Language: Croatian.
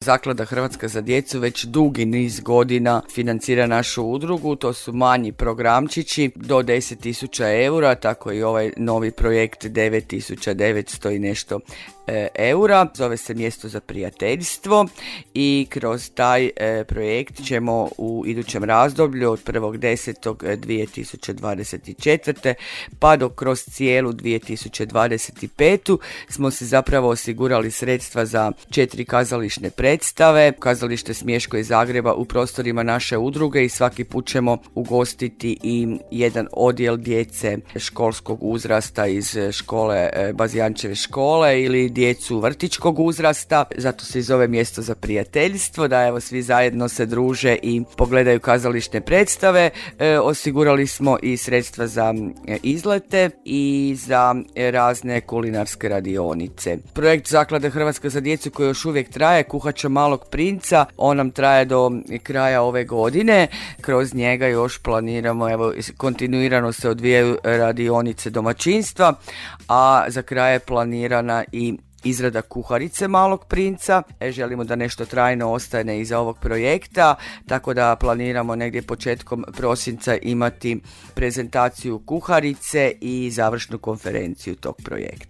Zaklada Hrvatska za djecu već dugi niz godina financira našu udrugu, to su manji programčići do 10.000 eura, tako i ovaj novi projekt 9.900 i nešto eura, zove se Mjesto za prijateljstvo i kroz taj projekt ćemo u idućem razdoblju od 1.10.2024. pa do kroz cijelu 2025. smo si zapravo osigurali sredstva za 4 kazališne predstave, kazalište Smješko iz Zagreba u prostorima naše udruge i svaki put ćemo ugostiti i jedan odjel djece školskog uzrasta iz škole Bazijančeve škole ili djecu vrtićkog uzrasta, zato se i zove Mjesto za prijateljstvo, da evo svi zajedno se druže i pogledaju kazališne predstave. Osigurali smo i sredstva za izlete i za razne kulinarske radionice. Projekt Zaklade Hrvatska za djecu koji još uvijek traje, Kuhača malog princa, on nam traje do kraja ove godine. Kroz njega još planiramo, evo kontinuirano se odvijaju radionice domaćinstva, a za kraj je planirana i izrada kuharice malog princa. Želimo da nešto trajno ostane iza ovog projekta, tako da planiramo negdje početkom prosinca imati prezentaciju kuharice i završnu konferenciju tog projekta.